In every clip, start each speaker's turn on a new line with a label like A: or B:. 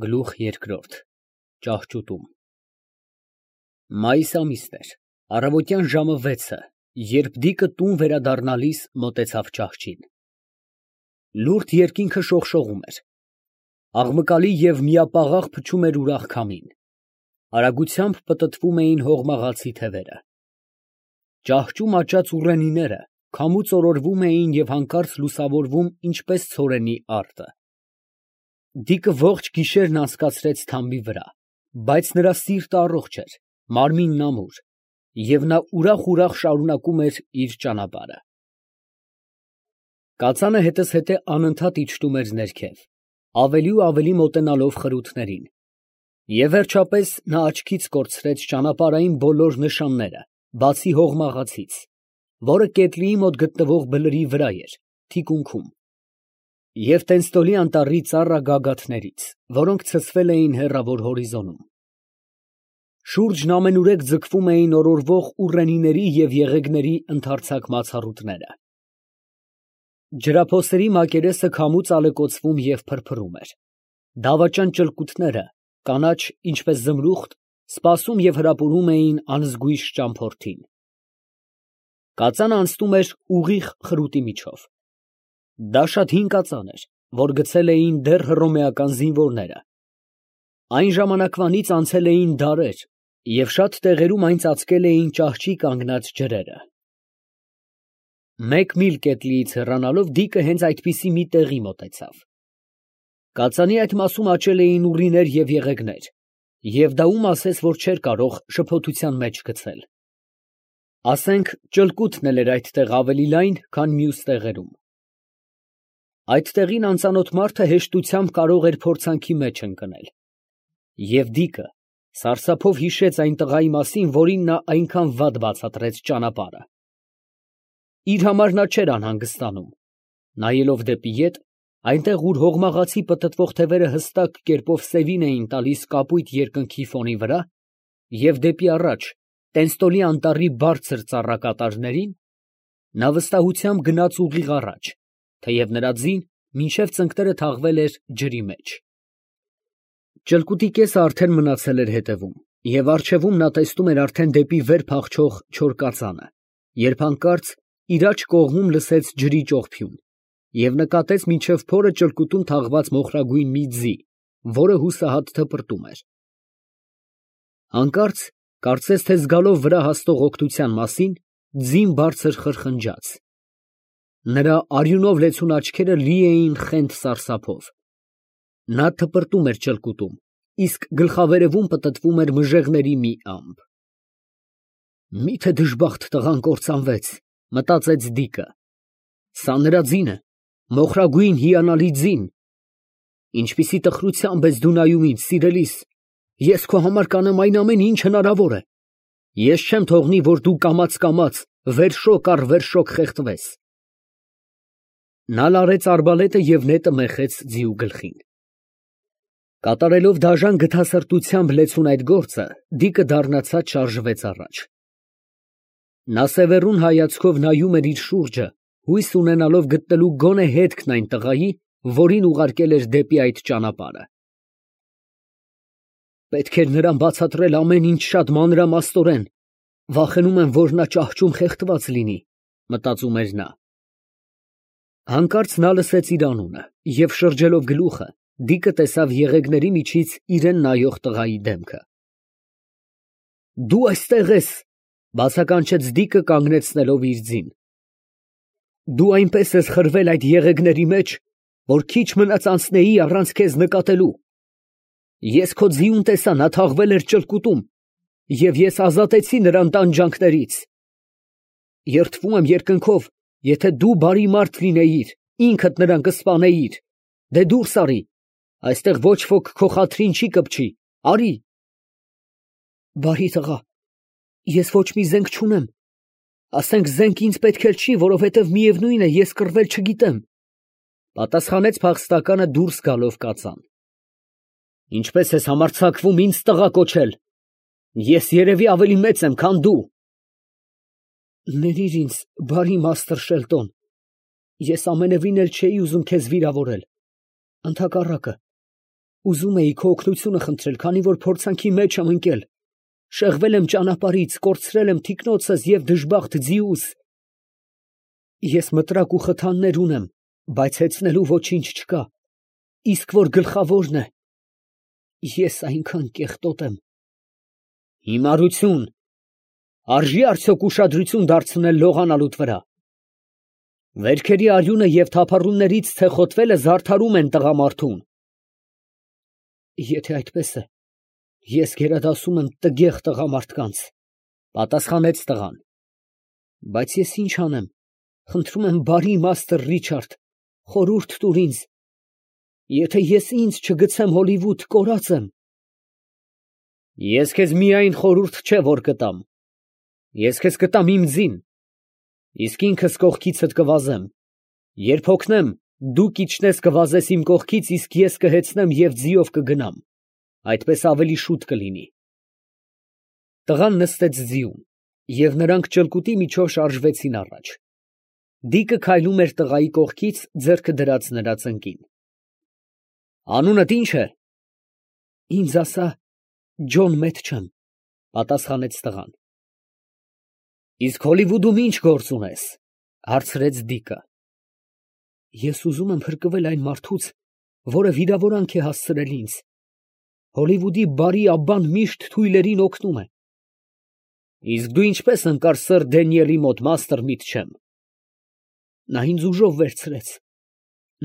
A: Գլուխ երկրորդ Ճահճուտում Մայիս ամիսն էր, առավոտյան ժամը 6-ը, երբ Դիկը տուն վերադառնալիս մոտեցավ ճահճին։ Լուրջ երկինքը շողշողում էր, աղմկալի և միապաղաղ փչում էր ուրախ քամին, արագությամբ պտտվում էին հողմաղացի թևերը։ Ճահճում աճած ուռենիները քամուց օրորվում էին և հանկարծ լուսավորվում ինչպես ցորենի արտը։ Դիկը ողջ գիշերն անցկացրեց թամբի վրա, բայց նրա սիրտը առողջ էր, մարմինն ամուր, և նա ուրախ շարունակում էր իր ճանապարհը։ Կածանը հետզհետե անընդհատ իջնում էր ներքև, ավելի ու ավելի մոտենալով խրութներին, և վերջապես նա աչքից կորցրեց ճանապարհային բոլոր նշանները, բացի հողմաղացից, որը կետնիի մոտ գտնվող բլրի վրա էր, թիկունքում, և Տենստոլի անտառի ծառ գագաթներից, որոնք ցցվել էին հեռավոր հորիզոնում։ Շուրջն ամենուրեք ձգվում էին օրորվող ուռենիների և եղեգների ընդարձակ մացառուտները։ Ջրափոսերի մակերեսը քամուց ալեկոծվում և փրփռում էր։ Դավաճան ճլկութները, կանաչ, ինչպես զմրուխտ, սպասում և հրապուրում էին անզգույշ ճամփորդին։ Կածանը անցնում էր ուղիղ խրուտի միջով։ Դա շատ հին կածան էր, որ գցել էին դեռ հռոմեական զինվորները։ Այն ժամանակվանից անցել էին դարեր, և շատ տեղերում այն ծածկել էին ճահճի կանգնած ջրերը։ Մեկ միլ կետնիից հեռանալով Դիկը հենց այդպիսի մի տեղի մոտեցավ։ Կածանի այդ մասում աճել էին ուռիներ և եղեգներ, և դա ում ասես, որ չէր կարող շփոթության մեջ գցել։ Ասենք ճլկութն էլ էր այդտեղ ավելի լայն, քան մյուս տեղերում։ Այդ տեղին անծանոթ մարդը հեշտությամբ կարող էր փորձանքի մեջ ընկնել։ Եվ Դիկը սարսափով հիշեց այն տղայի մասին, որին նա այնքան վատ բացատրեց ճանապարհը։ Իր համար նա չէր անհանգստանում։ Նայելով դեպի ետ, այնտեղ, ուր հողմաղացի պտտվող թևերը հստակ կերպով սևին էին տալիս կապույտ երկնքի ֆոնի վրա, և դեպի առաջ Տենստոլի անտառի բարձր ծառակատարներին, նա վստահությամբ գնաց ուղիղ առաջ, թեև նրա ձին մինչև ծնկները թաղվել էր ջրի մեջ։ Ճլկուտի կեսը արդեն մնացել էր հետևում, և առջևում նա տեսնում էր արդեն դեպի վեր փախչող չոր կածանը, երբ հանկարծ իր աջ կողմում լսեց ջրի ճողփյուն և նկատեց մինչև փորը ճլկուտում թաղված մոխրագույն մի ձի, որը հուսահատ թպրտում էր։ Հանկարծ, կարծես թե զգալով վրա հասնող օգնության մասին, ձին բարձր խրխնջաց։ Նրա արյունով լեցուն աչքերը լի էին խենթ սարսափով։ Նա թպրտում էր ճլկուտում, իսկ գլխավերևում պտտվում էր մժեղների մի ամպ։ Մի՞թե դժբախտ տղան կործանվեց, մտածեց Դիկը։ Սա նրա ձինը, մոխրագույն հիանալի ձին։ Ինչպիսի տխրությամբ ես դու նայում ինձ, սիրելիս, ես քո համար կանեմ այն ամեն ինչ հնարավոր է։ Ես չեմ թողնի, որ դու կամաց վերշոք առ վերշոք խեղդվես։ Նա լարեց արբալետը և նետը մեխեց ձիու գլխին։ Կատարելով դաժան գթասրտությամբ լեցուն այդ գործը, Դիկը դառնացած շարժվեց առաջ։ Նա սևեռուն հայացքով նայում էր իր շուրջը, հույս ունենալով գտնելու գոնե հետքն այն տղայի, որին ուղարկել էր դեպի այդ ճանապարհը։ Պետք էր նրան բացատրել ամեն ինչ շատ մանրամասնորեն, վախենում եմ, որ նա ճահճում խեղդված լինի, մտածում էր նա։ Հանկարծ նա լսեց իր անունը, և շրջելով գլուխը, Դիկը տեսավ եղեգների միջից իրան նայող տղայի դեմքը։ Դու այստեղ ես, բացականչեց Դիկը կանգնեցնելով իր ձին։ Դու այնպես ես խրվել այդ եղեգների մեջ, որ քիչ մնաց անցնեի առանց քեզ նկատելու։ Ես քո ձիուն տեսա, նա թաղվել էր ճլկուտում, և ես ազատեցի նրան տանջանքներից։ Երդվում եմ երկնքով, եթե դու բարի մարդ լինեիր, ինքդ նրան կսպանեիր։ Դե դուրս արի, այստեղ ոչ ոք քո խաթրին չի կպչի, արի։ Բարի տղա, ես ոչ մի զենք չունեմ, ասենք զենք ինձ պետք էլ չի, որովհետև միևնույն է, ես կռվել չգիտեմ, պատասխանեց փախստականը դուրս գալով կածան։ Ինչպես ես համարձակվում ինձ տղա կոչել, ես երևի ավելի մեծ եմ, քան դու։ Ներիր ինձ, բարի մաստր Շելտոն, ես ամենևին էլ չէի ուզում քեզ վիրավորել, ընդհակառակը, Ուզում էի քո օգնությունը խնդրել, քանի որ փորձանքի մեջ եմ ընկել, շեղվել եմ ճանապարհից, կորցրել եմ թիկնոցս և դժբախտ ձիուս։ Ես մտրակ ու խթաններ ունեմ, բայց հեծնելու ոչինչ չկա, իսկ որ գլխավորն է, ես այնքան կեղտոտ եմ։ Հիմարություն, արժի արդյոք ուշադրություն դարձնել լողանալուտ վրա։ Վերքերի արյունը և թափառումներից ցեխոտվելը զարդարում են տղամարդուն։ Եթե այդպես է, ես գերադասում եմ տգեղ տղամարդկանց, պատասխանեց տղան։ Բայց ես ինչ անեմ, խնդրում եմ բարի մաստր Ռիչարդ, խորհուրդ տուր ինձ, եթե ես ինձ չգցեմ Հոլիվուդ, կորած եմ։ Ես քեզ միայն խորհուրդ չէ, որ կտամ, ես քեզ կտամ իմ ձին, իսկ ինքս կողքիցդ կվազեմ, երբ հոգնեմ, դու կիջնես կվազես իմ կողքից, իսկ ես կհեծնեմ և ձիով կգնամ, այդպես ավելի շուտ կլինի։ Տղան նստեց ձիուն, և նրանք ճլկուտի միջով շարժվեցին առաջ։ Դիկը քայլում էր տղայի կողքից, ձեռքը դրած նրա ծնկին։ Անունդ ի՞նչ է։ Ինձ ասա, Ջոն Մեթչեմ, պատասխանեց տղան։ Իսկ Հոլիվուդում ի՞նչ գործ ունես, հարցրեց Դիկը։ Ես ուզում եմ փրկվել այն մարդուց, որը վիրավորանք է հասցրել ինձ։ Հոլիվուդի բարի աբբան միշտ թույլերին օգնում է։ Իսկ դու ինչպես ընկար սըր Դենիելի մոտ, մաստր Միթչեմ։ Նա ինձ ուժով վերցրեց,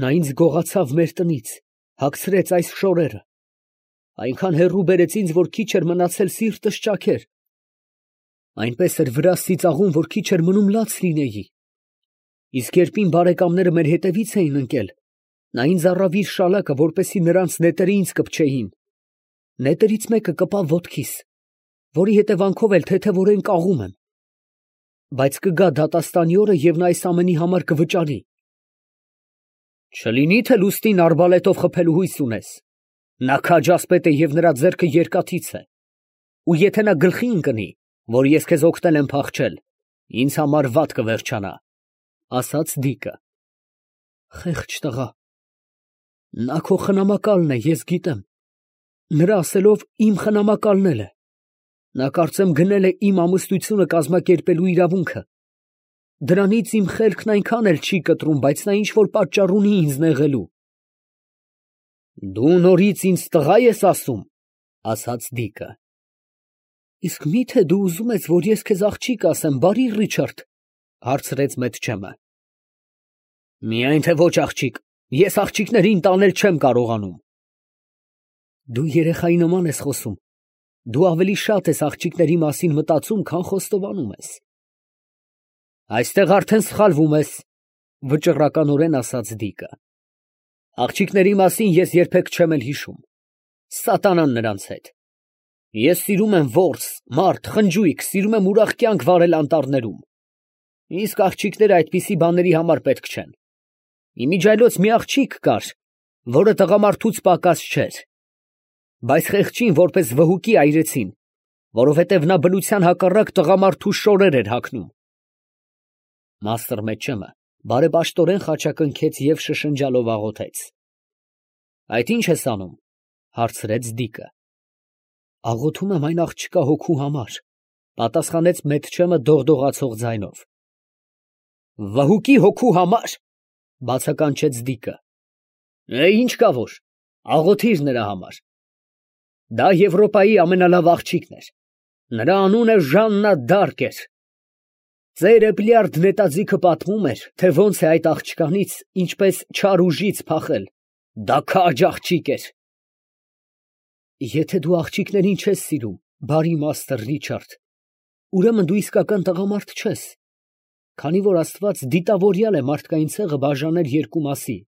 A: նա ինձ գողացավ մեր տնից, հագցրեց այս շորերը, այնքան հեռու բերեց ինձ, որ քիչ էր մնացել սիրտս ճաքեր։ Այնպես էր վրաս ծիծաղում, որ քիչ էր մնում լաց լինեի։ Իսկ երբ իմ բարեկամները մեր հետևից էին ընկել, նա ինձ առավ իր շալակը, որպեսզի նրանց նետերը ինձ կպչեին։ Նետերից մեկը կպավ ոտքիս, որի հետևանքով էլ թեթևորեն կաղում եմ։ Բայց կգա դատաստանի օրը, և նա այս ամենի համար կվճարի։ Չլինի թե լուստին արբալետով խփելու հույս ունես։ Նա քաջ ասպետ է և նրա ձեռքը երկաթից է։ Ու եթե նա գլխի ընկնի, որ ես քեզ օգնել եմ փախչել, ինձ համար վատ կվերջանա, ասաց Դիկը։ Խեղճ տղա։ Նա քո խնամակալն է, ես գիտեմ։ Նրա ասելով իմ խնամակալն էլ է։ Նա կարծեմ գնել է իմ ամուսնությունը կազմակերպելու իրավունքը։ Դրանից իմ խելքն այնքան էլ չի կտրում, բայց նա ինչ-որ պատճառ ունի ինձ նեղելու։ Դու նորից ինձ տղա ես ասում, ասաց Դիկը։ Իսկ մի՞թե դու ուզում ես, որ ես քեզ աղջիկ ասեմ, բարի Ռիչարդ, հարցրեց Մեթչեմը։ Միայն թե ոչ աղջիկ, ես աղջիկներին տանել չեմ կարողանում։ Դու երեխայի նման ես խոսում, դու ավելի շատ ես աղջիկների մասին մտածում, քան խոստովանում ես։ Այստեղ արդեն սխալվում ես, վճռականորեն ասաց Դիկը։ Աղջիկների մասին ես երբեք չեմ էլ հիշում։ Սատանան նրանց հետ։ Ես սիրում եմ որս, մարդ, խնջույք, սիրում եմ ուրախ կյանք վարել անտառներում։ Իսկ աղջիկները այդպիսի բաների համար պետք չեն։ Իմիջայլոց մի աղջիկ կար, որը տղամարդուց պակաս չէր, բայց խեղճին որպես վհուկի այրեցին, որովհետև նա բնության հակառակ տղամարդու շորեր էր հագնում։ Մաստր Մեթչեմը բարեպաշտորեն խաչակնքեց և շշնջալով աղոթեց։ Այդ ի՞նչ ես անում, հարցրեց Դիկը։ Աղոթում եմ այն աղջկա հոգու համար, պատասխանեց Մեթչեմը դողդողացող ձայնով։ Վհուկի հոգու համար, բացականչեց Դիկը։ Ինչ կա որ, աղոթիր նրա համար։ Դա Եվրոպայի ամենալավ աղջիկն էր։ Նրա անունը Ժաննա Դարկ էր։ Ծերը Պլյարդ նետաձիգը պատմում էր, թե ոնց է այդ աղջկանից, ինչպես չար ուժից փախել։ Դա քաջ աղջիկ էր։ Եթե դու աղջիկներին չես սիրում, բարի մաստր Ռիչարդ, ուրեմն դու իսկական տղամարդ չես, քանի որ Աստված դիտավորյալ է մարդկային ցեղը բաժանել երկու մասի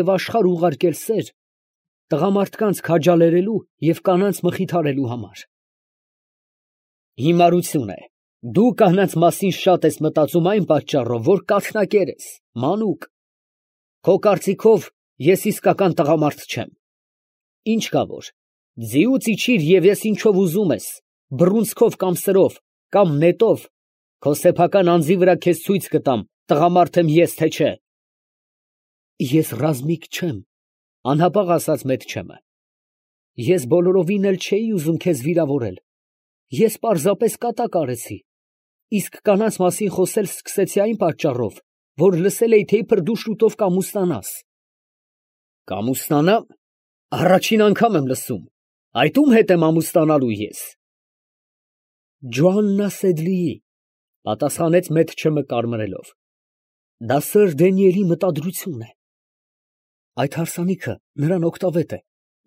A: և աշխարհ ուղարկել սեր տղամարդկանց քաջալերելու և կանանց մխիթարելու համար։ Հիմարություն է։ Դու կանանց մասին շատ ես մտածում այն պատճառով, որ կաթնակեր ես, մանուկ։ Քո կարծիքով ես իսկական տղամարդ չեմ։ Ինչ կա որ, ձիուց իջիր և ես ինչով ուզում ես, բռունցքով կամ սրով, կամ նետով, քո սեփական անձի վրա քեզ ցույց կտամ, տղամարդ եմ ես, թե չէ։ Ես ռազմիկ չեմ, անհապաղ ասաց Մեթչեմը։ Ես բոլորովին էլ չէի ուզում քեզ վիրավորել, ես պարզապես կատակ արեցի, իսկ կանանց մասին խոսել սկսեցի այն պատճառով, որ լսել էի, թե իբր դու շուտով կամուսնանաս։ Կամուսնանամ, առաջին անգամ եմ լսում, այդ ում հետ եմ ամուսնանալու ես։ Ջոաննա Սեդլիի, պատասխանեց Մեթչեմը կարմրելով, դա սըր Դանիելի մտադրություն է։ Այդ հարսանիքը նրան օգտավետ է,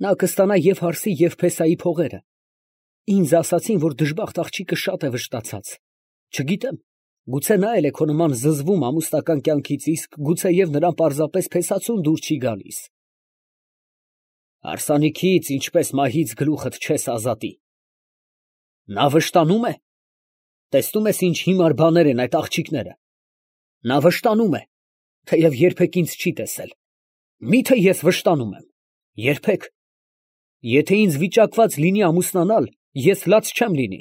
A: նա կստանա և հարսի և փեսայի փողերը։ Ինձ ասացին, որ դժբախտ աղջիկը շատ է վշտացած, չգիտեմ, գուցե նա էլ է քո նման զզվում ամուսնական կյանքից, իսկ գուցեև նրան պարզապես փեսացուն դուր չի գալիս։ Հարսանիքից, ինչպես մահից գլուխդ չես ազատի։ Նա վշտանում է։ Տեսնում ես ինչ հիմար բաներ են այդ աղջիկները։ Նա վշտանում է, թեև երբեք ինձ չի տեսել։ Միթե ես վշտանում եմ։ Երբեք։ Եթե ինձ վիճակված լինի ամուսնանալ, ես լաց չեմ լինի։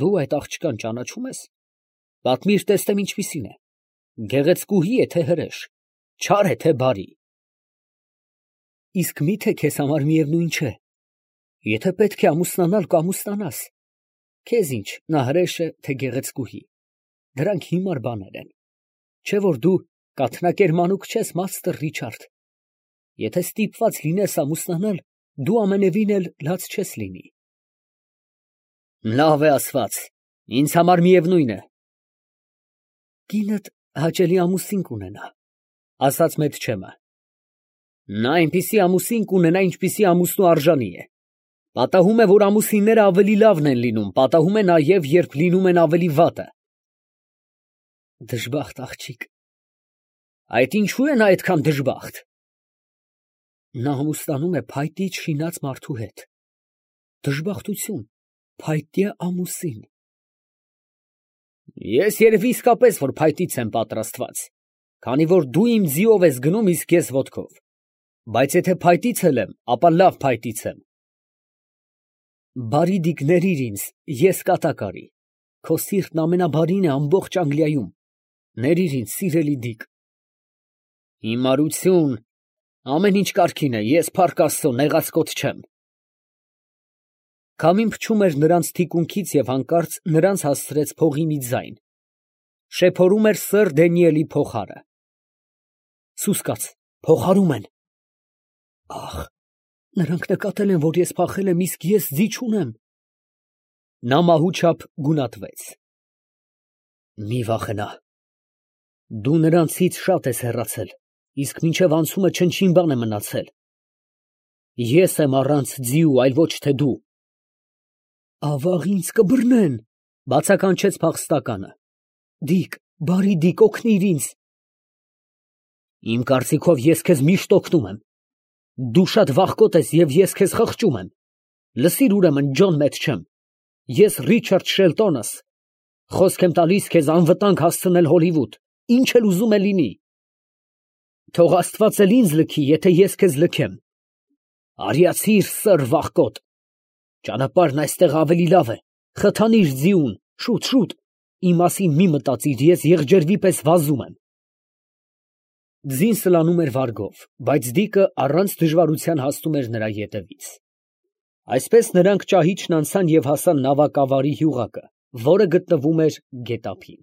A: Դու այդ աղջկան ճանաչում ես։ Պատմիր, տեսնեմ ինչպիսին է։ Գեղեցկուհի է, թե հրեշ, չար է, թե բարի։ Իսկ միթե քեզ համար միևնույն չէ։ Եթե պետք է ամուսնանալ, կամուսնանաս։ Քեզ ինչ, նա հրեշ է, թե գեղեցկուհի։ Դրանք հիմար բաներ են։ Չէ որ դու կաթնակեր մանուկ չես, մաստր Ռիչարդ։ Եթե ստիպված լինես ամուսնանալ, դու ամենևին էլ լաց չես լինի։ Լավ է ասված, ինձ համար միևնույն է։ Կինդ հաճելի ամուսին կունենա, ասաց Մեթչեմը։ Նա այնպիսի ամուսին կունենա, ինչպիսի ամուսնու արժանի է։ Պատահում է, որ ամուսինները ավելի լավն են լինում, պատահում է նաև, երբ լինում են ավելի վատը։ Դժբախտ աղջիկ։ Այդ ինչու է նա այդքան դժբախտ։ Նա ամուսնանում է փայտիչ շինած մարդու հետ։ Դժբախտություն, փայտյա ամուսին։ Ես երևի իսկապես որ փայտից եմ պատրաստված, քանի որ դու իմ ձիով ես գնում, իսկ ես ոտքով։ Բայց եթե փայտից էլ եմ, ապա լավ փայտից եմ։ Բարի դիկ ներիր ինձ, ես կատակ արի։ Քո սիրտն ամենաբարին է ամբողջ Անգլիայում։ Ներիր ինձ, սիրելի դիկ։ Հիմարություն, ամեն ինչ կարգին է, ես փառք Աստծո նեղացկոտ չեմ։ Քամին փչում էր նրանց թիկունքից և հանկարծ նրանց հասցրեց փողի մի ձայն։ Շեփորում էր սըր Դանիելի փողահարը։ Սուս կաց, փողահարում են։ Ախ, նրանք նկատել են, որ ես փախել եմ, իսկ ես ձի չունեմ։ Նա մահուչափ գունատվեց։ Մի վախենա։ Դու նրանցից շատ ես հեռացել, իսկ մինչև անցումը չնչին բան է մնացել։ Ես եմ առանց ձիու, այլ ոչ թե դու։ Ավաղ ինձ կբռնեն, բացականչեց փախստականը։ Դիկ, բարի դիկ, օգնիր ինձ։ Իմ կարծիքով ես քեզ միշտ օգնում եմ։ Դու շատ վախկոտ ես և ես քեզ խղճում եմ։ Լսիր ուրեմն, Ջոն Մեթչեմ, ես Ռիչարդ Շելտոնս, խոսք եմ տալիս քեզ անվտանգ հասցնել Հոլիվուդ, ինչ էլ ուզում է լինի։ Թող Աստված էլ ինձ լքի, եթե ես քեզ լքեմ։ Արիացիր սըր վախկոտ։ Ճանապարհն այստեղ ավելի լավ է։ Խթանիր ձիուն, շուտ, շուտ։ Իմ մասին մի մտածիր, ես եղջերվի պես վազում եմ։ Ձին սլանում էր վարգով, բայց դիկը առանց դժվարության հասնում էր նրա ետևից։ Այսպես նրանք ճահիճն անցան և հասան նավակավարի հյուղակը, որը գտնվում էր գետափին։